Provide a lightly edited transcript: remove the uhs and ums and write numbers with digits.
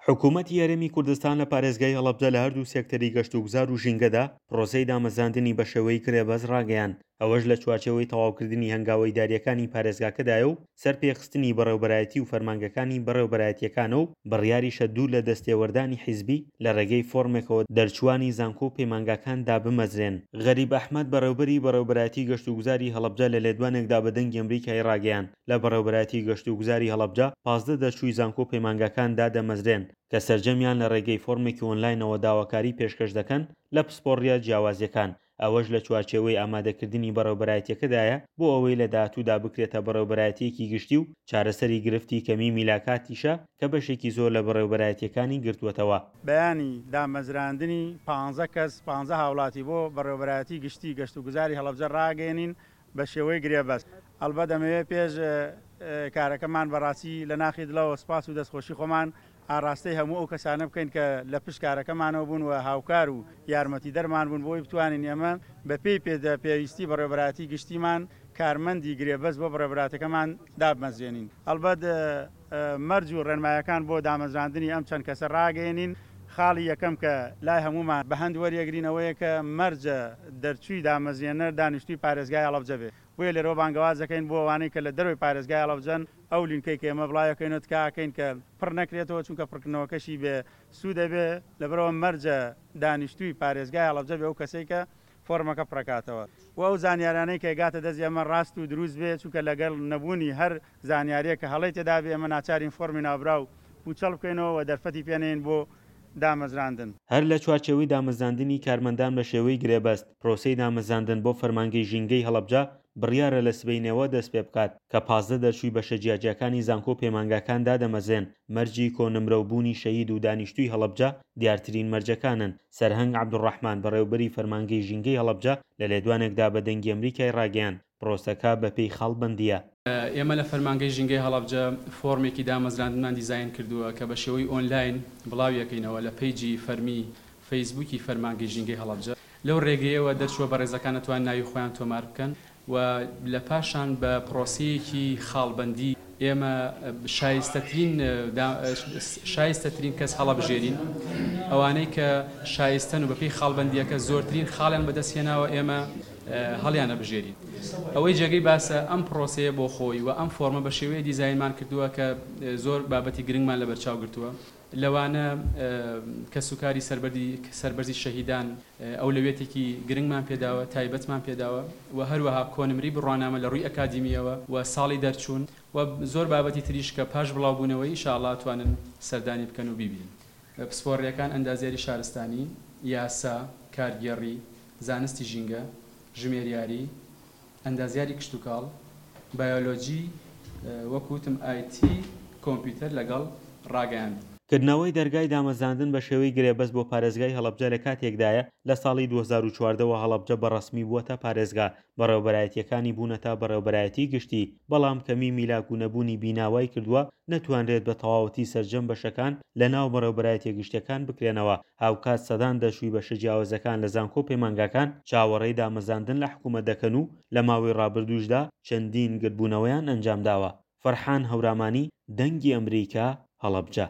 حکوومەتی هەرێمی کوردستان لە پارێزگای هەڵەبجە لە هەردوو سێکتەری گەشتوگوزار و ژینگەدا پرۆسەی دامەزراندنی بەشێوەی گرێبەست ڕاگەیاند، ئەوەش لە چوارچێوەی تەواوکردنی هەنگاوە ئیدارییەکانی پارێزگاکەدایە و سەرپێخستنی بەڕێوبەرایەتی و فەرمانگەکانی بەڕێوبەرایەتییەکانە و بڕیاریشە دوور لە دەستێوەردانی حیزبی لە ڕێگەی فۆرمێکەوە دەرچووانی زانکۆ و پەیمانگاکان دابمەزرێن. غەریب ئەحمەد بەڕێوبەری بەڕێوبەرایەتی گەشتوگوزاری هەڵەبجە لە لێدوانێکدا بە دەنگی ئەمریکای ڕاگەیاند، لە بەڕێوبەرایەتی گەشتوگوزاری هەڵەبجە 15 دەرچووی زانکۆ و پەیمانگاکان دادەمەزرێن کە سەرجەمیان لە ڕێگەی فۆرمێکی ئۆنلاینەوە داواکاری پێشکەش دەکەن لە پسپۆڕییە جیاوازییەکان، ئەوەش لە چوارچێوەی ئامادەکردنی بەڕێوبەرایەتیەکەدایە بۆ ئەوەی لە داهاتوودا بکرێتە بەڕێوبەرایەتیەکی گشتی و چارەسەری گرفتی کەمی میلاکاتیشە کە بەشێکی زۆر لە بەڕێوبەرایەتیەکانی گرتووەتەوە. بەیانی دامەزراندنی پانزە کەس، پانزە هاوڵاتی بۆ بەڕێوبەرایەتی گشتی گەشتوگوزاری هەڵەبجە ڕاگەیەنین بە شێوەی گرێبەست. ئەڵبەت ئەمەوێ پێش کارەکەمان بە ڕاستی لە ناخی دڵەوە سپاس و دەستخۆشی خۆمان ئاڕاستەی هەموو ئەو کەسانە بکەین کە لە پشت کارەکەمانەوە بوون و هاوکار و یارمەتیدەرمان بوون بۆ ئەوەی بتوانین ئێمە بە پێی پێویستی بەڕێوەبەرایەتی گشتیمان کارمەندی گرێبەست بۆ بەڕێوەبەراتەکەمان دابمەزرێنین. ئەڵبەت مەرج و ڕێنمایەکان بۆ دامەزراندنی ئەم چەند کەسە ڕاگەیەنین، خاڵی یەکەم کە لای هەموومان بە هەند وەریەگرین ئەوەیە کە مەرجە دەرچووی دامەزرێنەر دانیشتووی پارێزگای هەڵەبجە بێ، بۆیە لێرەوە بانگەواز دەکەین بۆ ئەوانەی کە لە دەرەوەی پارێزگای هەڵەبجەن ئەو لینکەی کە ئێمە بڵاویەکەینەوە تکا ئەکەین کە پڕ نەکرێتەوە چونکە پڕکردنەوەکەشی بێ سوود ئەبێ لەبەرئەوە مەرجە دانیشتووی پارێزگای هەڵەبجە بێ ئەو کەسەی کە فۆرمەکە پڕەکاتەوە و ئەو زانیارانەی کە گاتە دەست ئێمە ڕاست و دروست بێ چونکە لەگەڵ نەبوونی هەر زانیاریەک کە هەڵەی تێدا بێ ئێمە ناچارین فۆرمی ناوبراو پوچەڵ بکەینەوە و دەرفەتی پێ نەین بۆ دامەزراندن. هەر لە چوارچێوەی دامەزراندنی کارمەندان بە شێوەی گرێبەست، پرۆسەی دامەزراندن بۆ فەرمانگەی ژینگەی هەڵەبجە بڕیارە لە سبەینێوە دەستپێبکات، کە 15 دەرچووی بەشە جیاجیاکانی زانکۆ و پەیمانگاکان دادەمەزرێن، مەرجی کۆنمرە و بوونی شەهید و دانیشتووی هەڵەبجە دیارترین مەرجەکانن. سەرهەنگ عەبدولڕەحمان بەڕێوبەری فەرمانگەی ژینگەی هەڵەبجە لە لێدوانێکدا بە دەنگی ئەمریکای ڕاگەیاند، پرۆسەکە بەپێی خاڵبەندییە. ئێمە لە فەرمانگەی ژینگەی هەڵەبجە فۆرمێکی دامەزراندنمان دیزاین کردووە کە بە شێوەی ئۆنلاین بڵاویەکەینەوە لە پەیجی فەرمی فەیسبووکی فەرمانگەی ژینگەی هەڵەبجە. لەو رێگەیەوە دەرچووە بەڕێزەکان ئەتوانن ناوی خۆیان تۆمار بکەن و لە پاشان بە پرۆسەیەکی خاڵبەندی ئێمە شایستەترین شایستەترین کەس هەڵەبژێرین، ئەوانەی کە شایستەن و بەپێی خاڵبەندییەکە زۆرترین خاڵیان بەدەست هێناوە ئێمە هەڵیانەبژێرین. ئەوەی جێگەی باسە ئەم پرۆسەیە بۆ خۆی و ئەم فۆرمە بە شێوەیە دیزاینمان کردووە کە زۆر بابەتی گرنگمان لەبەرچاو گرتووە لەوانە کەسوکاری سەربەرزی شەهیدان ئەولەویەتێکی گرنگمان پێداوە، تایبەتمان پێداوە و هەروەها کۆنمرەی بڕوانامە لە ڕووی ئەکادیمییەوە و ساڵی دەرچوون و زۆر بابەتی تریش کە پاش بڵاوبوونەوەی ئیشاڵڵا ئەتوانن سەردانی بکەن و بیبینن. پسپۆڕییەکان ئەندازیاری شارستانی، یاسا، کارگێڕی، زانستی ژینگە، ژمێریاری، ئەندازیاری کشتوکاڵ، بایۆلۆجی، وەک وتم ئایتی، کۆمپیوتەر لەگەڵ ڕاگەیاندن. کردنەوەی دەرگای دامەزراندن بە شێوەی گرێبەست بۆ پارێزگای هەڵەبجە لە کاتێکدایە، لە ساڵی 2014 وە هەڵەبجە بە ڕەسمی بووەتە پارێزگا، بەڕێوەبەرایەتییەکانی بوونەتە بەڕێوەبەرایەتی گشتی، بەڵام کەمی میلاک و نەبوونی بینا وای کردووە نەتوانرێت بە تەواوەتی سەرجەم بەشەکان لە ناو بەڕێوەبەرایەتیە گشتیەکان بکرێنەوە، هاوکات سەدان دەرچووی بەشە جیاوازەکان لە زانکۆ و پەیمانگاکان چاوەڕێی دامەزاندن لە حکومەت دەکەن و لە ماوەی ڕابردووشدا چەندین گردبوونەوەیان ئەنجامداوە. فەرحان هەورامانی، دەنگی ئەمریکا، هەڵەبجە.